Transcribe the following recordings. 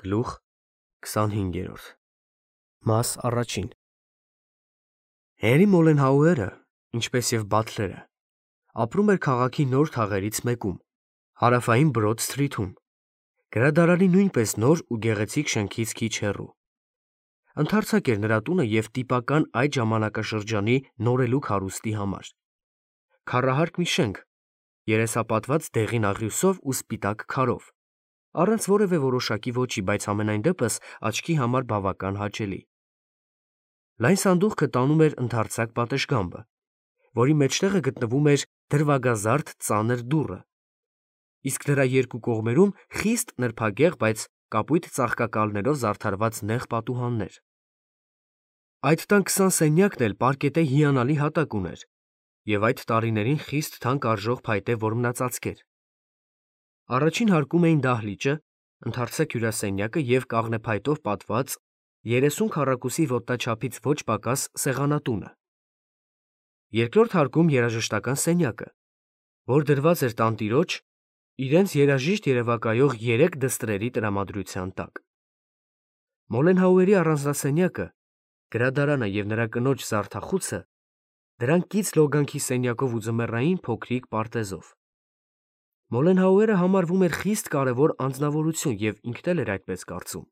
Գլուխ 25 Մաս առաջին Հենրի Մոլենհաուերը, ինչպես և Բաթլերը, ապրում էր քաղաքի նոր թաղերից մեկում, հարավային Բրոդ Սթրիթում, գրադարանի նույնպես նոր ու գեղեցիկ շենքից քիչ հեռու։ Ընդարձակ էր նրա տունը և տիպական այդ ժամանակաշրջանի նորելուկ հարուստի համար։ Քառահարկ մի շենք, երեսապատված դեղին աղյուսով ու սպիտակ քարով, առանց որևէ որոշակի ոճի, բայց համենայն դեպս աչքի համար բավական հաճելի։ Լայն սանդուղքը տանում էր ընդարձակ պատշգամբը, որի մեջտեղը գտնվում էր դրվագազարդ ծանր դուռը, իսկ դրա երկու կողմերում խիստ նրբագեղ, բայց կապույտ ծաղկակալներով զարդարված նեղ պատուհաններ։ Այդ տան 20 սենյակն էլ պարկետե հիանալի հատակ ուներ և այդ տարիներին խիստ թանկ արժող փայտե որմնածածկեր։ Առաջին հարկում էին դահլիճը, ընդարձակ հյուրասենյակը և կաղնեփայտով պատված 30 քառակուսի ոտնաչափից ոչ պակաս սեղանատունը։ Երկրորդ հարկում երաժշտական սենյակը, որ դրված էր տանտիրոջ, իրենց երաժիշտ երևակայող 3 դստրերի տրամադրության տակ։ Մոլենհաուերի առանձնասենյակը, գրադարանը և նրա կնոջ զարդախուցը դրանք կից լոգանքի սենյակով ու ձմեռային փոքրիկ պարտեզով։ Մոլենհաուերը համարվում էր խիստ կարևոր անձնավորություն և ինքն էլ էր այդպես կարծում։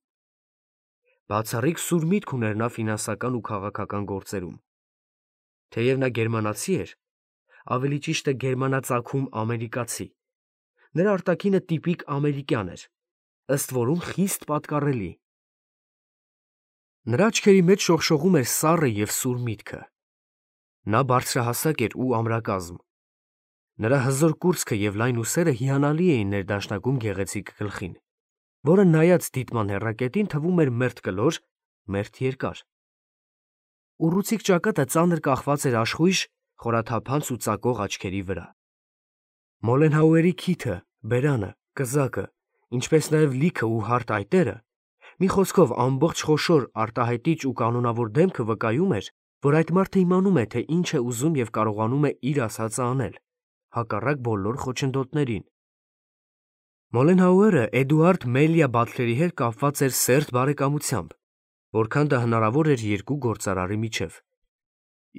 Բացառիկ սուր միտք ուներ նա ֆինանսական ու քաղաքական գործերում։ Թեև նա գերմանացի էր, ավելի ճիշտ է գերմանացագում ամերիկացի, նրա արտաքինը տիպիկ ամերիկյան էր, ըստ որում խիստ պատկառելի։ Նրա աչքերի մեջ շողշողում էր սառը և սուր միտքը։ Նա բարձրահասակ էր ու ամրակազմ։ Նրա հզոր կուրծքը և լայն ուսերը հիանալի էին ներդաշնակում գեղեցիկ գլխին, որը նայած դիտման հեռակետին թվում էր մերթ կլոր, մերթ երկար։ Ուռուցիկ ճակատը ծանր կախված էր աշխույժ, խորաթափանց ու ծակող աչքերի վրա։ Մոլենհաուերի քիթը, բերանը, կզակը, ինչպես նաև լիքը ու հարթ այտերը, մի խոսքով ամբողջ խոշոր, արտահայտիչ ու կանոնավոր դեմքը վկայում էր, որ այդ մարդը իմանում է, թե ինչ է ուզում և կարողանում է իր ասածը անել, հակառակ բոլոր խոչընդոտներին։ Մոլենհաուերը Էդուարդ Մելիա Բաթլերի հետ կապված էր սերտ բարեկամությամբ, որքան դա հնարավոր էր երկու գործարարի միջև։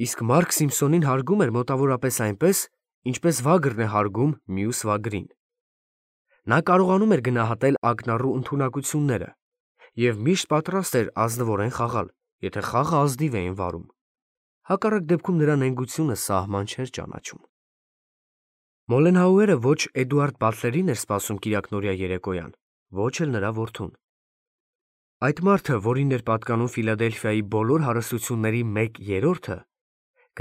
Իսկ Մարկ Սիմփսոնին հարգում էր մոտավորապես այնպես, ինչպես վագրն է հարգում մյուս վագրին։ Նա կարողանում էր գնահատել ակնառու ընդունակությունները և միշտ պատրաստ էր ազնվորեն խաղալ, եթե խաղը ազնիվ էին վարում։ Հակառակ դեպքում նրա նենգությունը սահման չէր ճանաչում։ Մոլենհաուերը ոչ Էդուարդ Բաթլերին էր սպասում կիրակնօրյա երեկոյան, ոչ էլ նրա որդուն։ Այդ մարդը, որին էր պատկանում Ֆիլադելֆիայի բոլոր հարստությունների 1/3-ը,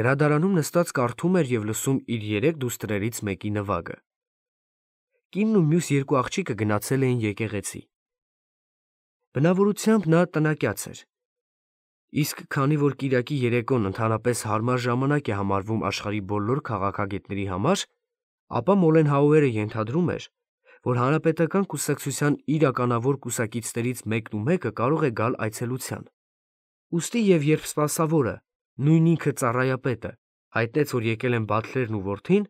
գրադարանում նստած կարդում էր և լսում իր 3 դուստրերից մեկի նվագը։ Կինն ու մյուս 2 աղջիկը գնացել էին եկեղեցի։ Բնավորությամբ նա տնակյաց էր։ Իսկ քանի որ կիրակի երեկոն ընդհանրապես հարմար ժամանակ է համարվում աշխարհի բոլոր քաղաքագետների համար, ապա Մոլենհաուերը ենթադրում էր, որ հանրապետական կուսակցության իրականավոր կուսակիցներից մեկն ու մեկը կարող է գալ այցելության։ Ուստի և երբ սպասավորը, նույն ինքը ծառայապետը, հայտնեց, որ եկել են Բաթլերն ու որդին,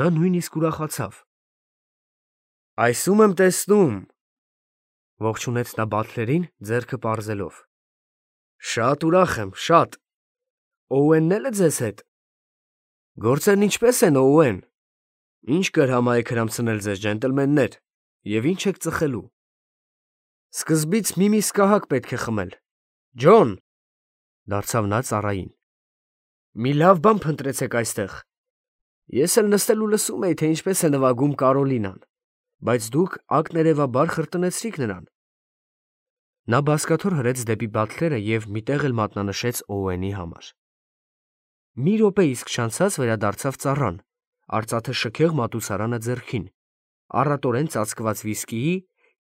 նա նույնիսկ ուրախացավ։ «Այս ում եմ տեսնում», ողջունեց նա Բաթլերին, ձեռքը պարզելով։ «Շատ ուրախ եմ, շատ։ Օուենն է՞լ է ձեզ հետ»։ «Գործերն ինչպե՞ս են, Օուեն։ Ինչ կրհամայեք հրամցնել ձեզ, ջենտլմեններ, և ինչ եք ծխելու»։ «Սկզբից մի միս կահակ պետք է խմել։ Ջոն», դարձավ նա ծառային, «մի լավ բան փնտրեցեք այստեղ։ Ես էլ նստել ու լսում էի, թե ինչպես է նվագում Կարոլինան, բայց դուք ակներևաբար խրտնեցրիք նրան»։ Նա բազկաթոռ հրեց դեպի Բաթլերը և մի տեղ էլ մատնանշեց Օուենի համար։ Մի րոպե իսկ չանցած վերադարձավ ծառան, արծաթե շքեղ մատուցարանը ձեռքին, առատորեն ծածկված վիսկիի,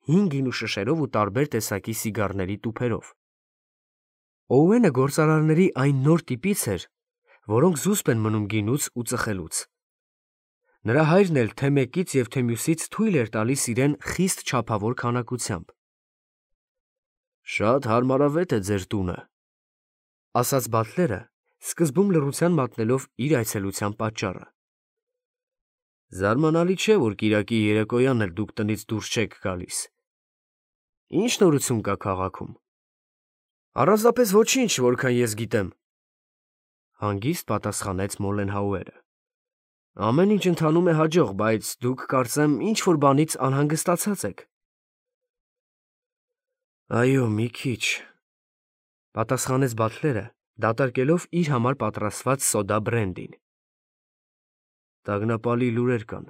հին գինու շշերով ու տարբեր տեսակի սիգարների տուփերով։ Օուենը գործարարների այն նոր տիպից էր, որոնք զուսպ են մնում գինուց ու ծխելուց։ Նրա հայրն էլ թե մեկից և թե մյուսից թույլ էր տալիս իրեն խիստ չափավոր քանակությամբ։ «Շատ հարմարավետ է ձեր տունը», ասաց Բաթլերը, սկզբում լռության մատնելով իր այցելության պատճառը։ «Զարմանալի չէ, որ կիրակի երեկոյան էլ դուք տնից դուրս չեք գալիս։ Ինչ նորություն կա քաղաքում։ Առանձնապես ոչինչ, որքան ես գիտեմ, հանգիստ պատասխանեց Մոլենհաուերը։ Ամեն ինչ ընթանում է հաջող, բայց դուք կարծեմ ինչ-որ բանից անհանգստացած եք։ Այո, մի քիչ, պատասխանեց Բաթլերը, դատարկելով իր համար պատրաստված սոդա բրենդին։ Տագնապալի լուրեր կան։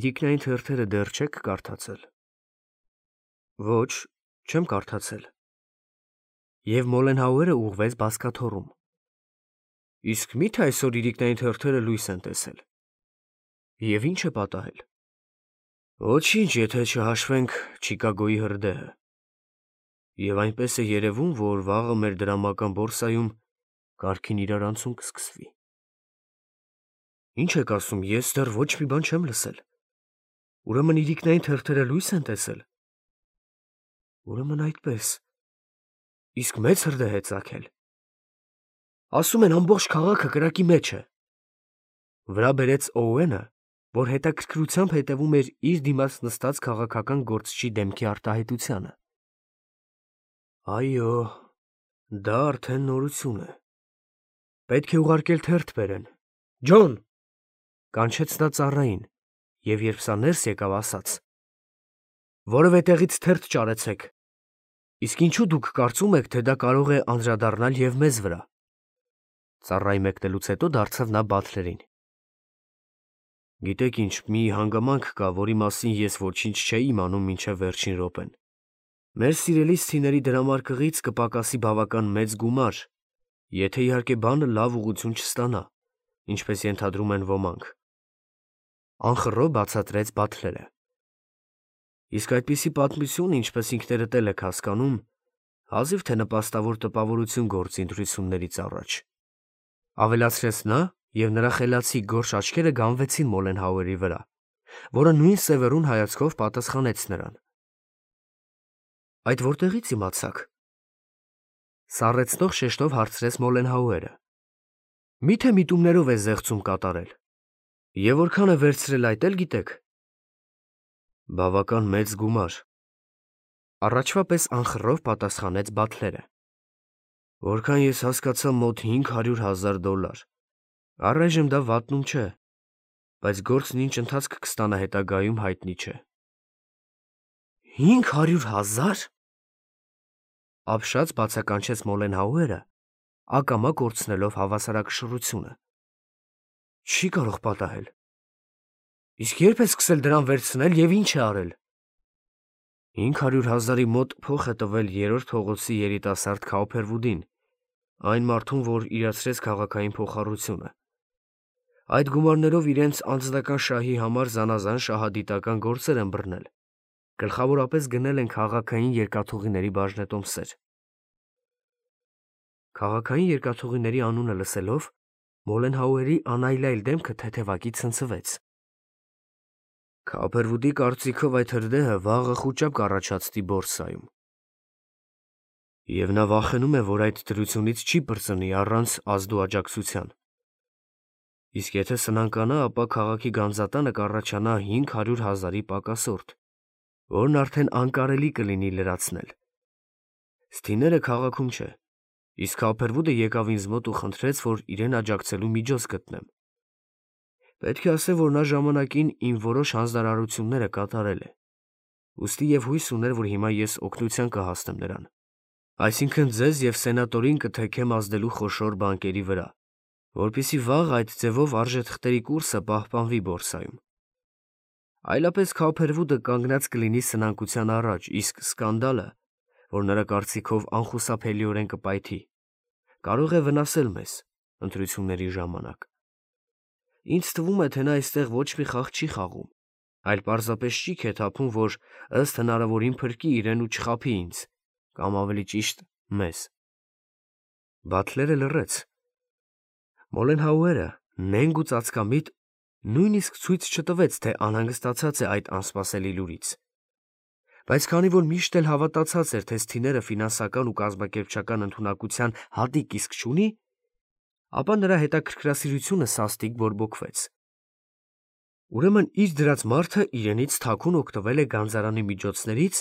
Իրիկնային թերթերը դեռ չեք կարդացել։ Ոչ, չեմ կարդացել։ Եվ Մոլենհաուերը ուղղվեց բազկաթոռում։ Իսկ մի՞թե այսօր իրիկնային թերթերը լույս են տեսել։ Եվ ինչ է պատահել։ Ոչինչ, եթե չհաշվենք Չիկագոյի հրդեհը։ Եվ այնպես է երևում, որ վաղը մեր դրամական բորսայում կարգին իրարանցում կսկսվի։ Ինչ եք ասում, ես դեռ ոչ մի բան չեմ լսել։ Ուրեմն իրիկնային թերթերը լույս են տեսել։ Ուրեմն այդպես։ Իսկ մեծ հրդեհ է ծագել։ Ասում են ամբողջ քաղաքը կրակի մեջ է։ Վրա բերեց Օուենը, որ հետաքրքրությամբ հետևում էր իր դիմաց նստած քաղաքական գործչի դեմքի արտահայտությանը։ Այո, դա արդեն նորություն է։ Պետք է ուղարկել թերթ բերեն։ Ջոն, կանչեց նա ծառային, եւ երբ սա ներս եկավ, ասաց. որևէ տեղից թերթ ճարեցեք։ Իսկ ինչու դուք կարծում եք, թե դա կարող է անդրադառնալ եւ մեզ վրա։ Ծառայի մեկնելուց հետո դարձավ նա Բաթլերին։ Գիտեք ինչ, մի հանգամանք կա, որի մասին ես ոչինչ չէի իմանում մինչև վերջին րոպեն։ Մեր սիրելի սթիների դրամարկղից կպակասի բավական մեծ գումար, եթե իհարկե բանը լավ ուղղություն չստանա, ինչպես ենթադրում են ոմանք։ Անխռով բացատրեց Բաթլերը։ Իսկ այդպիսի պատմություն, ինչպես ինքներդ էլ եք հասկանում, հազիվ թե նպաստավոր տպավորություն գործի ընտրություններից առաջ։ Ավելացրեց նա, եւ նրա խելացի գորշ աչքերը գանվեցին Մոլենհաուերի վրա, որը նույն սևեռուն հայացքով պատասխանեց նրան։ Այդ որտեղից իմացաք։ Սառեցնող շեշտով հարցրեց Մոլենհաուերը։ Միթե միտումներով է զեղծում կատարել։ Եվ որքան է վերցրել այդ էլ գիտեք։ Բավական մեծ գումար։ Առաջվա պես անխռով պատասխանեց Բաթլերը։ Որքան ես հասկացա, մոտ $500,000։ Առայժմ դա վատնում չէ, բայց գործն ինչ ընթացք կստանա հետագայում հայտնի չէ։ 500,000։ Ապշած բացականչեց Մոլենհաուերը, ակամա կորցնելով հավասարակշռությունը։ Չի կարող պատահել։ Իսկ երբ է սկսել դրան վերցնել եւ ինչ է արել։ 500,000-ի մոտ փող է տվել 3-րդ փողոցի երիտասարդ Քաուփերվուդին, այն մարդուն, որ իրացրեց քաղաքային փոխառությունը։ Այդ գումարներով իրենց անձնական շահի համար զանազան շահադիտական գործեր են բռնել։ Գլխավորապես գնել են քաղաքային երկաթուղիների բաժնետոմսեր։ Քաղաքային երկաթուղիների անունը լսելով Մոլենհաուերի անայլայլ դեմքը թեթևակի ցնցվեց։ Քաուփերվուդի կարծիքով այդ հրդեհը վաղը խուճապ կառաջացնի բորսայում։ Եվ նա վախենում է, որ այդ դրությունից չի բրծնի առանց ազդու աջակցության։ Իսկ եթե սնանկանա, ապա քաղաքի գանձատանը կառաջանա 500,000-ի պակասորդ, որն արդեն անկարելի կլինի լրացնել։ Սթիները քաղաքում չէ, իսկ Քաուփերվուդը եկավ ինձ մոտ ու խնդրեց, որ իրեն աջակցելու միջոց գտնեմ։ Պետք է ասեմ, որ նա ժամանակին իմ որոշ հանձնարարությունները կատարել է։ Ուստի եւ հույս ուներ, որ հիմա ես օգնության կհասնեմ նրան։ Այսինքն ձեզ եւ սենատորին կթեքեմ ազդելու խոշոր բանկերի վրա, որpիսի վաղ այդ ձևով արժեթղթերի կուրսը պահպանվի բորսայում։ Այլապես Քաուփերվուդը կանգնած կլինի սնանկության առաջ, իսկ սկանդալը, որ նրա կարծիքով անխուսափելիորեն կպայթի, կարող է վնասել մեզ ընտրությունների ժամանակ։ Ինձ թվում է, թե նա այստեղ ոչ մի խաղ չի խաղում, այլ պարզապես ճիգ է թափում, որ ըստ հնարավորին փրկի իրեն ու չխաբի ինձ, կամ ավելի ճիշտ մեզ։ Բաթլերը լռեց։ Մոլենհաուերը նենգ ու ծածկամիտ նույնիսկ ցույց չտվեց, թե անհանգստացած է այդ անսպասելի լուրից։ Բայց քանի որ միշտ էլ հավատացած էր, թե սթիները ֆինանսական ու կազմակերպչական ընդունակության հատիկ իսկ չունի, ապա նրա հետաքրքրասիրությունը սաստիկ բորբոքվեց։ Ուրեմն իր դրած մարդը իրենից թաքուն օգտվել է գանձարանի միջոցներից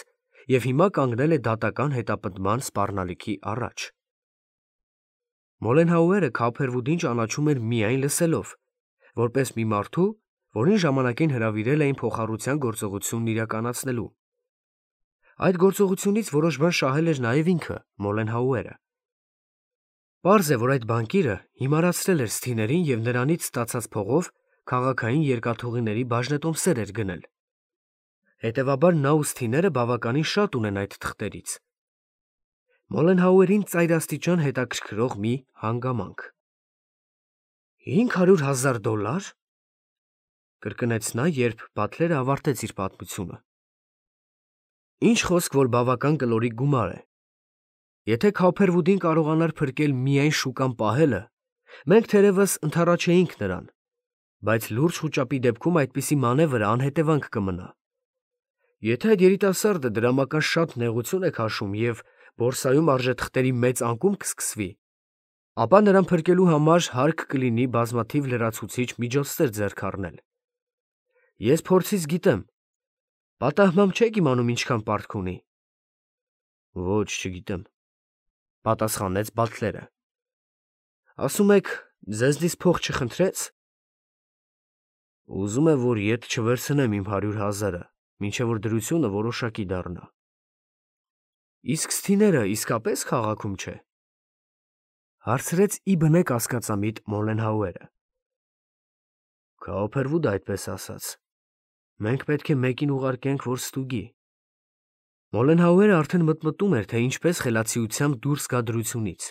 և հիմա կանգնել է դատական հետապնդման սպառնալիքի առաջ։ Մոլենհաուերը Քափերվուդին ճանաչում էր միայն լսելով, որպես մի մարդու, որին ժամանակին հրավիրել էին փոխառության գործողությունն իրականացնելու։ Այդ գործողությունից որոշ բան շահել էր նաև ինքը, Մոլենհաուերը։ Պարզ է, որ այդ բանկիրը հիմարացրել էր Սթիներին և նրանից ստացած փողով քաղաքային երկաթուղիների բաժնետոմսեր էր գնել։ Հետևաբար նա ու Սթիները բավականին շատ ունեն այդ թղթերից։ Մոլենհաուերին ծայրաստիճան հետաքրքրող մի հանգամանք։ $500,000 կրկնեց նա, երբ Բաթլերը ավարտեց իր պատմությունը։ Ինչ խոսք, որ բավական կլորիկ գումար է։ Եթե Քափերվուդին կարողանար փրկել միայն շուկան պահելը, մենք թերևս ընդառաջեինք նրան, բայց լուրջ խուճապի դեպքում այդպիսի մանևրը անհետևանք կմնա։ Եթե այդ երիտասարդը դրամական շատ նեղություն է քաշում և բորսայում արժեթղթերի մեծ անկում կսկսվի, ապա նրան փրկելու համար հարկ կլինի բազմաթիվ լրացուցիչ միջոցներ ձեռք առնել։ Ես փորձից գիտեմ։ Պատահմամբ չեք իմանում ինչքան պարտք ունի։ Ոչ, չգիտեմ, պատասխանեց Բաթլերը։ Ասում եք, ձեզնից փող չխնդրեց։ Ուզում է, որ ետ չվերցնեմ իմ 100,000-ը, մինչև որ դրությունը որոշակի դառնա։ Իսկ Սթիները իսկապես քաղաքում չէ։ Հարցրեց ի բնե կասկածամիտ Մոլենհաուերը։ Քափերվուդ այդպես ասաց։ Մենք պետք է մեկին ուղարկենք, որ ստուգի։ Մոլենհաուերը արդեն մտմտում էր, թե ինչպես խելացիությամբ դուրս գա դրությունից։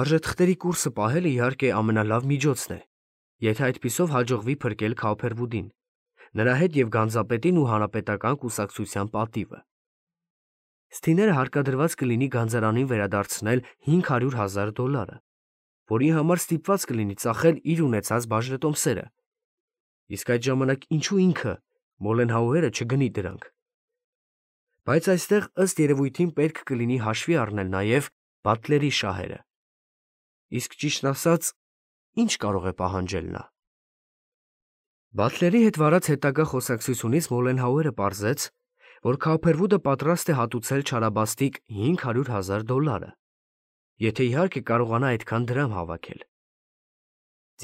Արժեթղթերի կուրսը պահելը իհարկե ամենալավ միջոցն է, եթե այդպիսով հաջողվի փրկել Քափերվուդին, նրա հետ և Գանձապետին ու հանրապետական կուսակցության պատիվը։ Սթիները հարկադրված կլինի գանձարանին վերադարձնել $500,000, որի համար ստիպված կլինի ծախել իր ունեցած բաժնետոմսերը։ Իսկ այդ ժամանակ ինչու ինքը, Մոլենհաուերը, չգնի դրանք։ Բայց այստեղ ըստ երևույթին պետք կլինի հաշվի առնել նաև Բաթլերի շահերը։ Իսկ ճիշտն ասած, ինչ կարող է պահանջել նա։ Բաթլերի հետ վարած հետագա խոսակցությունից Մոլենհաուերը պարզեց, որ Քափերվուդը պատրաստ է հատուցել չարաբաստիկ $500,000, եթե իհարկե կարողանա այդքան դրամ հավաքել։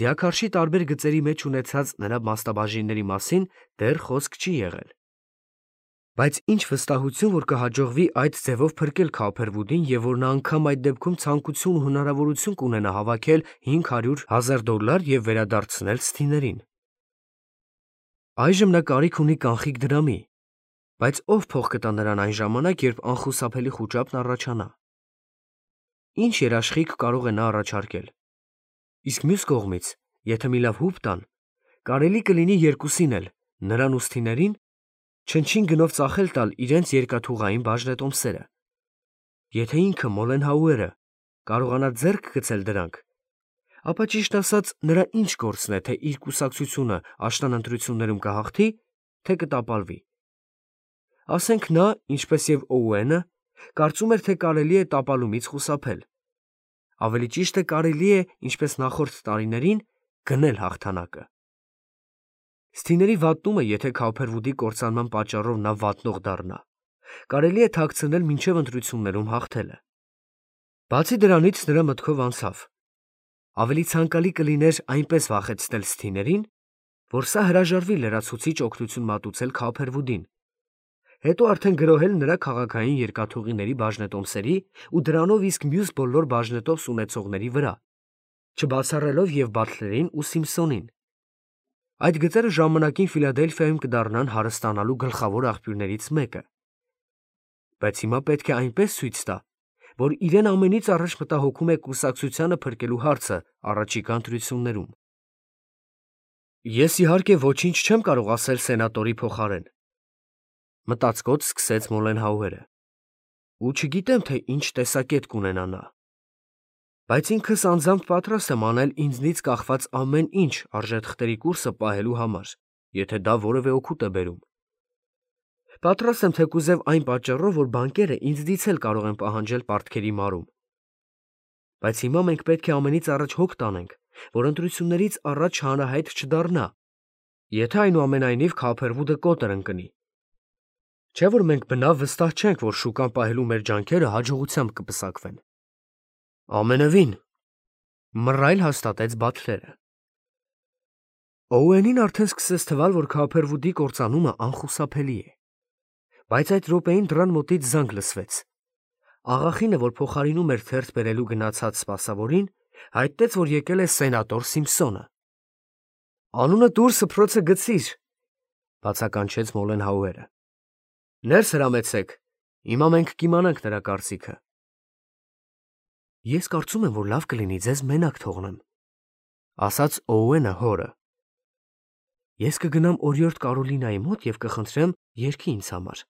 Ձիաքարշի տարբեր գծերի մեջ ունեցած նրա մասնաբաժինների մասին դեռ խոսք չի եղել։ Բայց ինչ վստահություն, որ կհաջողվի այդ ձևով փրկել Քափերվուդին և որ նա անգամ այդ դեպքում ցանկություն ու հնարավորություն կունենա հավաքել $500,000 և վերադարձնել Սթիներին։ Այժմ նա կարիք ունի կանխիկ դրամի, բայց ով փող կտա նրան այն ժամանակ, երբ անխուսափելի խուճապն առաջանա։ Ինչ երաշխիք կարող է նա առաջարկել։ Իսկ մյուս կողմից, եթե մի լավ հուպ տան, կարելի կլինի երկուսին էլ, նրան ու Սթիներին, չնչին գնով ծախել տալ իրենց երկաթուղային բաժնետոմսերը։ Եթե ինքը Մոլենհաուերը կարողանա ձեռք գցել դրանք, ապա ճիշտ ասած նրա ինչ գործն է, թե իր կուսակցությունը աշնան ընտրություններում կհաղթի, թե կտապալվի։ Ասենք նա, ինչպես և Օուենը, կարծում էր, թե կարելի է տապալումից խուսափել։ Ավելի ճիշտ է կարելի է, ինչպես նախորդ տարիներին, գնել հաղթանակը։ Սթիների վատնումը, եթե Քափերվուդի կործանման պատճառով նա վատնող դառնա, կարելի է թաքցնել մինչև ընտրություններում հաղթելը։ Բացի դրանից նրա մտքով անցավ. ավելի ցանկալի կլիներ այնպես վախեցնել Սթիներին, որ սա հրաժարվի լրացուցիչ օգնություն մատուցել Քափերվուդին, հետո արդեն գրոհել նրա քաղաքային երկաթուղիների բաժնետոմսերի ու դրանով իսկ մյուս բոլոր բաժնետոմս ունեցողների վրա, չբացառելով և Բաթլերին ու Սիմփսոնին։ Այդ գծերը ժամանակին Ֆիլադելֆիայում կդառնան հարստանալու գլխավոր աղբյուրներից մեկը։ Բայց հիմա պետք է այնպես ցույց տա, որ իրեն ամենից առաջ մտահոգում է կուսակցությանը փրկելու հարցը առաջիկա ընտրություններում։ Ես իհարկե ոչինչ չեմ կարող ասել սենատորի փոխարեն, մտածկոտ սկսեց Մոլենհաուերը, ու չգիտեմ, թե ինչ տեսակետ կունենա նա։ Բայց ինքս անձամբ պատրաստ եմ անել ինձնից կախված ամեն ինչ արժեթղթերի կուրսը պահելու համար, եթե դա որևէ օգուտ է բերում։ Պատրաստ եմ թեկուզև այն պատճառով, որ բանկերը ինձնից էլ կարող են պահանջել պարտքերի մարում։ Բայց հիմա մենք պետք է ամենից առաջ հոգ տանենք, որ ընտրություններից առաջ հանրահայտ չդառնա, եթե այնուամենայնիվ Քափերվուդը կոտր ընկնի։ Չէ՞ որ մենք բնավ վստահ չենք, որ շուկան պահելու մեր ջանքերը հաջողությամբ կպսակվեն։ Ամենևին, մռայլ հաստատեց Բաթլերը։ Օուենին արդեն սկսեց թվալ, որ Քոփերվուդի կործանումը անխուսափելի է։ Բայց այդ րոպեին դռան մոտից զանգ լսվեց։ Աղախինը, որ փոխարինում էր թերթ բերելու գնացած սպասավորին, հայտնեց, որ եկել է սենատոր Սիմփսոնը։ Անունը դուր սփռոցը գցիր, բացականչեց Մոլենհաուերը։ Ներս հրամեցեք, հիմա մենք կիմանանք նրա կարծիքը։ Ես կարծում եմ, որ լավ կլինի ձեզ մենակ թողնեմ, ասաց Օուենը հորը։ Ես կգնամ օրիորդ Կարոլինայի մոտ և կխնդրեմ երգի ինձ համար։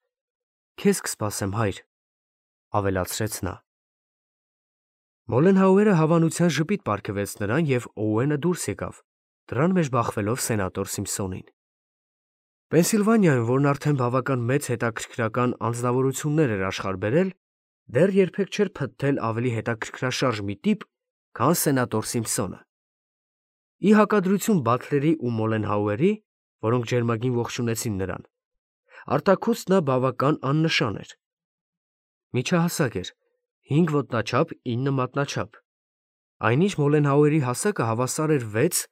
Քեզ կսպասեմ, հայր, ավելացրեց նա։ Մոլենհաուերը հավանության ժպիտ պարգևեց նրան և Օուենը դուրս եկավ, դռան մեջ բախվելով սենատոր Սիմփսոնին։ Պենսիլվանիայում, որն արդեն բավական մեծ հետաքրքրական անձնավորություններ էր աշխարհ բերել, դեռ երբեք չէր փտտել ավելի հետաքրքրաշարժ մի տիպ, քան սենատոր Սիմփսոնը։ Ի հակադրություն Բաթլերի ու Մոլենհաուերի, որոնք ջերմագին ողջունեցին նրան, արտաքուստ նա բավական աննշան էր։ Միջահասակ էր, 5 ոտնաչափ, 9 մատնաչափ։ Այնինչ Մոլենհաուերի հասակը հավասար էր 6,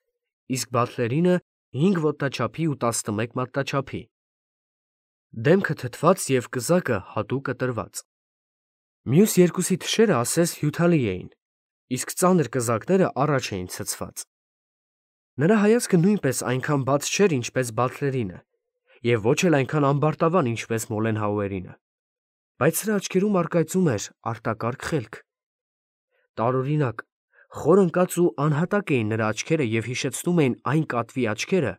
իսկ Բաթլերինը 5 ոտնաչափի ու 11 մատնաչափի։ Դեմքը թթված և կզակը հատուկ կտրված։ Մյուս երկուսի թշերը ասես հյութալի էին, իսկ ծանր կզակները առաջ էին ցցված։ Նրա հայացքը նույնպես այնքան բաց չէր, ինչպես Բաթլերինը, և ոչ էլ այնքան ամբարտավան, ինչպես Մոլենհաուերինը, բայց սրա աչքերում առկայծում էր արտակարգ խելք։ Տարօրինակ, խոր ընկած ու անհատակ էին նրա աչքերը և հիշեցնում էին այն կատվի աչքերը,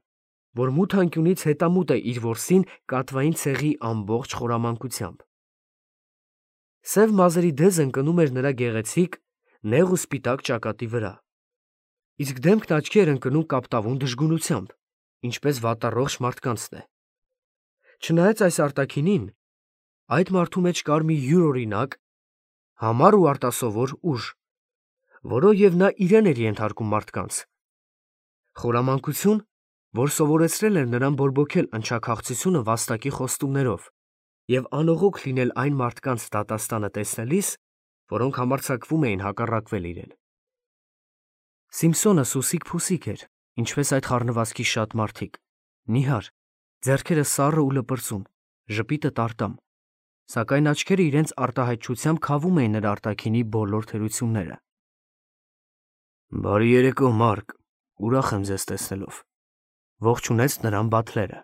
որ մութ անկյունից հետամուտ է իր որսին կատվային ցեղի ամբողջ խորամանկությամբ։ Սև մազերի դեզը ընկնում էր նրա գեղեցիկ, նեղ ու սպիտակ ճակատի վրա, իսկ դեմքն աչքի էր ընկնում կապտավուն դժգունությամբ, ինչպես վատառողջ մարդկանցն է։ Չնայած այս արտաքինին, այդ մարդու մեջ կար մի յուրօրինակ, համառ ու արտասովոր ուժ, որով և նա իրեն էր ենթարկում մարդկանց։ Խորամանկություն, որ սովորեցրել էր նրան բորբոքել ընչաքաղցությունը վաստակի խոստումներով և անողոք լինել այն մարդկանց դատաստանը տեսնելիս, որոնք համարձակվում էին հակառակվել իրեն։ Սիմփսոնը սուսիկ-փուսիկ էր, ինչպես այդ խառնվածքի շատ մարդիկ, նիհար, ձեռքերը սառը ու լպրծուն, ժպիտը տարտամ, սակայն աչքերը իրենց արտահայտչությամբ քավում էին նրա արտաքինի բոլոր թերությունները։ Բարի երեկո, Մարկ, ուրախ եմ ձեզ տեսնելով, ողջունեց նրան Բաթլերը։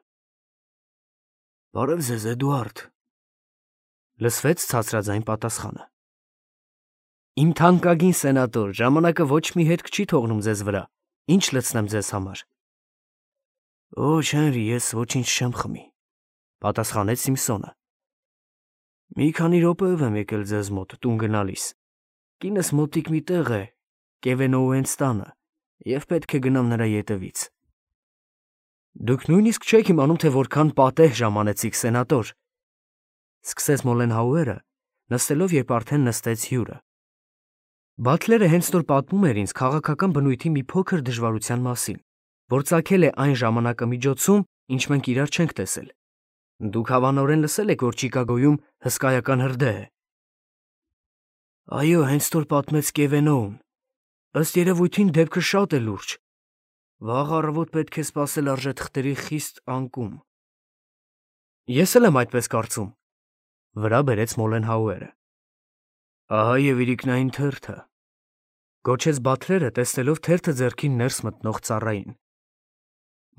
Բարև ձեզ, Էդուարդ, լսվեց ցածրաձայն պատասխանը։ Իմ թանկագին սենատոր, ժամանակը ոչ մի հետք չի թողնում ձեզ վրա, ինչ լցնեմ ձեզ համար։ Ոչ, Հենրի, ես ոչինչ չեմ խմի, պատասխանեց Սիմփսոնը։ Մի քանի րոպեով եմ եկել ձեզ մոտ, տուն գնալիս։ Կինս մոտիկ մի տեղ է, Կևենոուենց տանը, և պետք է գնամ նրա ետևից։ Դուք նույնիսկ չեք իմանում, թե որքան պատեհ ժամանեցիք, սենատոր, սկսեց Մոլենհաուերը, նստելով, երբ արդեն նստեց հյուրը։ Բաթլերը հենց նոր պատմում էր ինձ քաղաքական բնույթի մի փոքր դժվարության մասին, որ ծագել է այն ժամանակամիջոցում, ինչ մենք իրար չենք տեսել։ Դուք հավանորեն լսել եք, որ Չիկագոյում հսկայական հրդեհ է։ Այո, հենց նոր պատմեց Կևենոուն։ Ըստ երևույթին դեպքը շատ է լուրջ։ Վաղ առավոտ պետք է սպասել արժեթղթերի խիստ անկում։ Ես էլ եմ այդպես կարծում, վրա բերեց Մոլենհաուերը։ Ահա և իրիկնային թերթը, գոչեց Բաթլերը, տեսնելով թերթը ձեռքին ներս մտնող ծառային։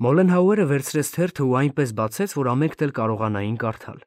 Մոլենհաուերը վերցրեց թերթը ու այնպես բացեց, որ ամենքն էլ կարողանային կարդալ։